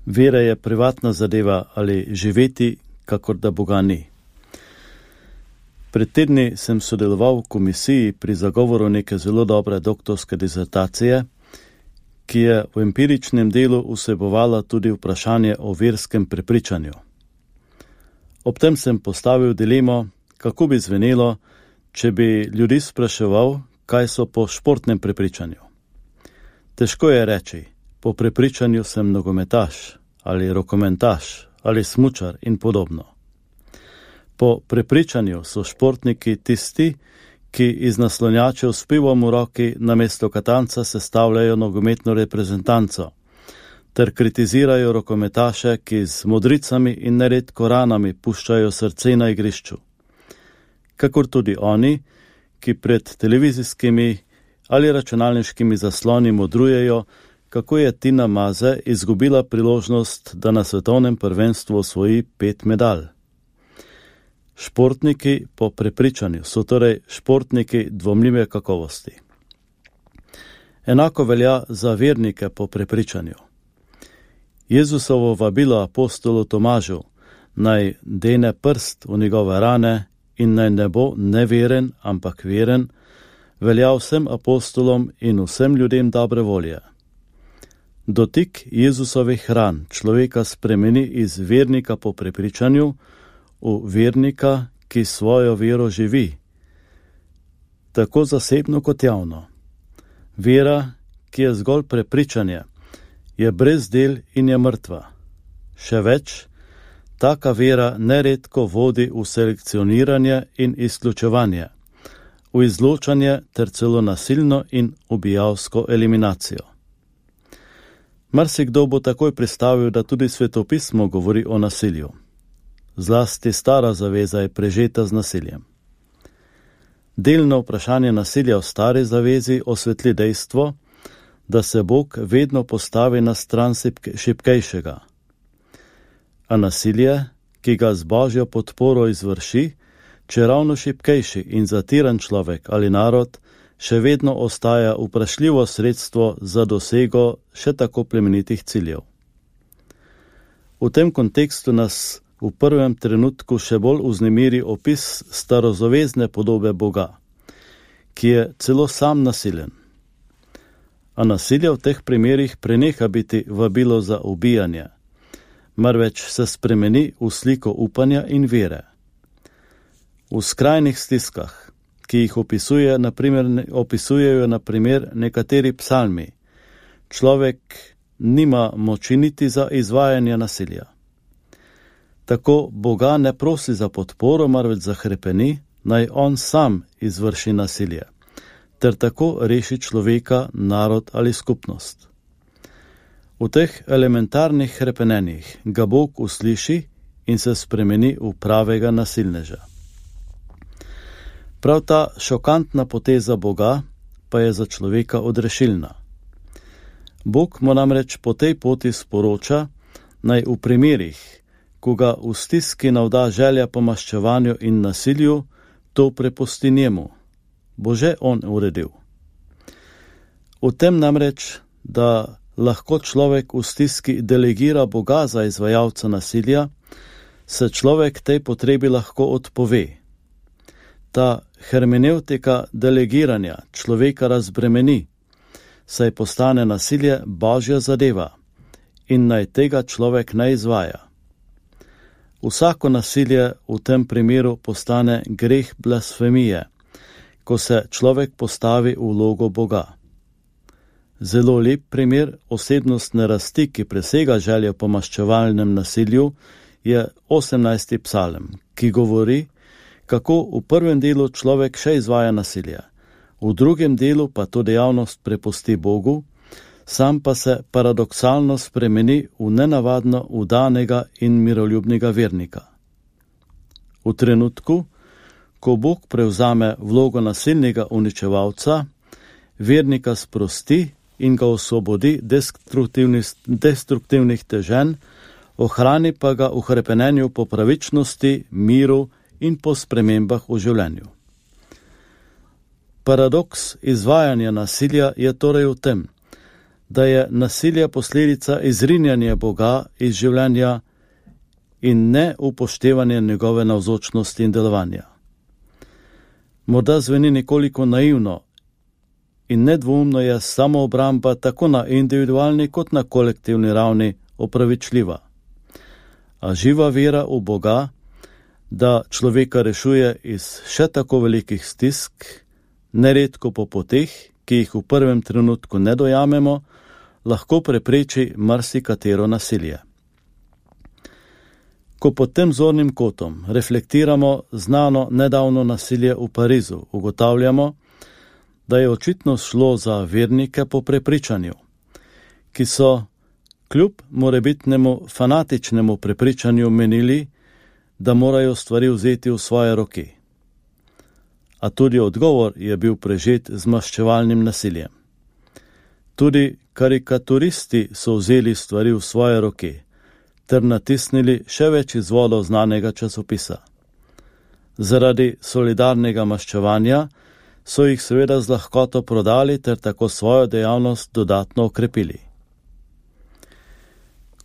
Vera je privatna zadeva ali živeti, kakor da Boga ni. Pred tedni sem sodeloval v komisiji pri zagovoru neke zelo dobre doktorske disertacije, ki je v empiričnem delu vsebovala tudi vprašanje o verskem prepričanju. Ob tem sem postavil dilemo, kako bi zvenelo, če bi ljudi spraševal, kaj so po športnem prepričanju. Težko je reči, po prepričanju sem nogometaš ali rokometaš ali smučar in podobno. Po prepričanju so športniki tisti, ki iz naslonjačev s pivom v roki namesto katanca sestavljajo nogometno reprezentanco, ter kritizirajo rokometaše, ki z modricami in neredko ranami puščajo srce na igrišču. Kakor tudi oni, ki pred televizijskimi ali računalniškimi zasloni modrujejo, kako je Tina Maze izgubila priložnost, da na svetovnem prvenstvu osvoji 5 medalj. Športniki po prepričanju so torej športniki dvomljive kakovosti. Enako velja za vernike po prepričanju. Jezusovo vabilo apostolu Tomažu, naj dene prst v njegove rane in naj ne bo neveren, ampak veren, velja vsem apostolom in vsem ljudem dobre volje. Dotik Jezusovih ran človeka spremeni iz vernika po prepričanju v vernika, ki svojo vero živi, tako zasebno kot javno. Vera, ki je zgolj prepričanje, je brez del in je mrtva. Še več, taka vera neredko vodi v selekcioniranje in izključevanje, v izločanje ter celo nasilno in ubijalsko eliminacijo. Marsikdo bo takoj pristavil, da tudi svetopismo govori o nasilju. Zlasti stara zaveza je prežeta z nasiljem. Delno vprašanje nasilja v stari zavezi osvetli dejstvo, da se Bog vedno postavi na stran šibkejšega. A nasilje, ki ga z Božjo podporo izvrši, če ravno šibkejši in zatiran človek ali narod, še vedno ostaja vprašljivo sredstvo za dosego še tako plemenitih ciljev. V tem kontekstu nas v prvem trenutku še bolj vznemiri opis starozavezne podobe Boga, ki je celo sam nasilen. A nasilje v teh primerih preneha biti vabilo za ubijanje, marveč se spremeni v sliko upanja in vere. V skrajnih stiskah, ki jih opisujejo na primer nekateri psalmi, človek nima moči niti za izvajanje nasilja. Tako Boga ne prosi za podporo, marveč zahrepeni, naj on sam izvrši nasilje, ter tako reši človeka, narod ali skupnost. V teh elementarnih hrepenenjih ga Bog usliši in se spremeni v pravega nasilneža. Prav ta šokantna poteza Boga pa je za človeka odrešilna. Bog mu namreč po tej poti sporoča, naj v primerih, ko ga v stiski navda želja po maščevanju in nasilju, to prepusti njemu, bo že on uredil. V tem namreč, da lahko človek v stiski delegira Boga za izvajalca nasilja, se človek tej potrebi lahko odpove. Ta hermenevtika delegiranja človeka razbremeni, saj postane nasilje Božja zadeva in naj tega človek ne izvaja. Vsako nasilje v tem primeru postane greh blasfemije, ko se človek postavi v vlogo Boga. Zelo lep primer osebnostne rasti, ki presega željo po maščevalnem nasilju, je 18. psalm, ki govori, kako v prvem delu človek še izvaja nasilje, v drugem delu pa to dejavnost prepusti Bogu, sam pa se paradoksalno spremeni v nenavadno vdanega in miroljubnega vernika. V trenutku, ko Bog prevzame vlogo nasilnega uničevalca, vernika sprosti in ga osvobodi destruktivnih teženj, ohrani pa ga v hrepenenju po pravičnosti, miru in po spremembah v življenju. Paradoks izvajanja nasilja je torej v tem, da je nasilje posledica izrinjanja Boga iz življenja in ne upoštevanje njegove navzočnosti in delovanja. Morda zveni nekoliko naivno in nedvoumno je samoobramba tako na individualni kot na kolektivni ravni opravičljiva. A živa vera v Boga, da človeka rešuje iz še tako velikih stisk, neredko po poteh, ki jih v prvem trenutku ne dojamemo, lahko prepreči marsikatero nasilje. Ko pod tem zornim kotom reflektiramo znano nedavno nasilje v Parizu, ugotavljamo, da je očitno šlo za vernike po prepričanju, ki so kljub morebitnemu fanatičnemu prepričanju menili, da morajo stvari vzeti v svoje roke. A tudi odgovor je bil prežet z maščevalnim nasiljem. Tudi karikaturisti so vzeli stvari v svoje roke ter natisnili še več izvodov znanega časopisa. Zaradi solidarnega maščevanja so jih seveda z lahkoto prodali ter tako svojo dejavnost dodatno okrepili.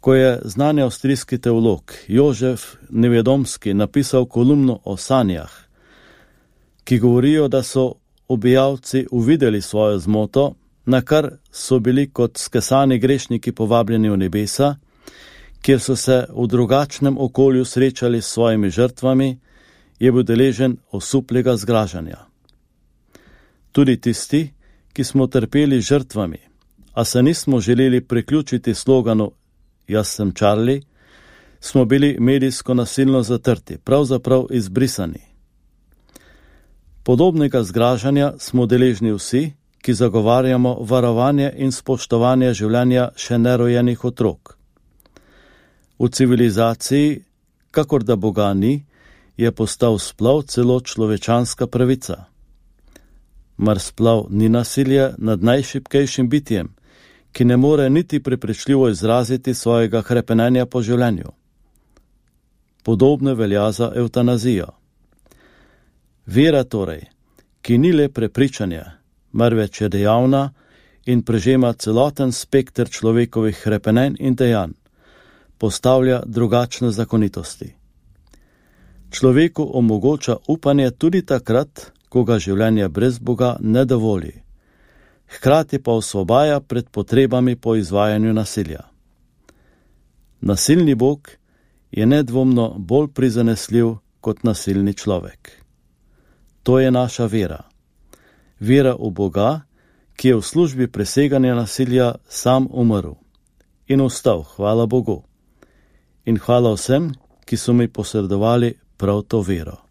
Ko je znani avstrijski teolog Jožef Nevedomski napisal kolumno o sanjah, ki govorijo, da so ubijalci uvideli svojo zmoto, na kar so bili kot skesani grešniki povabljeni v nebesa, kjer so se v drugačnem okolju srečali s svojimi žrtvami, je bil deležen osuplega zgražanja. Tudi tisti, ki smo trpeli žrtvami, a se nismo želeli priključiti sloganu Jaz sem Charlie, smo bili medijsko nasilno zatrti, pravzaprav izbrisani. Podobnega zgražanja smo deležni vsi, ki zagovarjamo varovanje in spoštovanje življenja še nerojenih otrok. V civilizaciji, kakor da Boga ni, je postal splav celo človečanska pravica. Mar splav ni nasilje nad najšibkejšim bitjem, ki ne more niti prepričljivo izraziti svojega hrepenenja po življenju. Podobno velja za evtanazijo. Vera torej, ki ni le prepričanje, marveč je dejavna in prežema celoten spekter človekovih hrepenenj in dejanj, postavlja drugačne zakonitosti. Človeku omogoča upanje tudi takrat, ko ga življenje brez Boga ne dovoli, hkrati pa osvobaja pred potrebami po izvajanju nasilja. Nasilni Bog je nedvomno bolj prizanesljiv kot nasilni človek. To je naša vera. Vera v Boga, ki je v službi preseganja nasilja sam umrl in vstal, hvala Bogu. In hvala vsem, ki so mi posredovali prav to vero.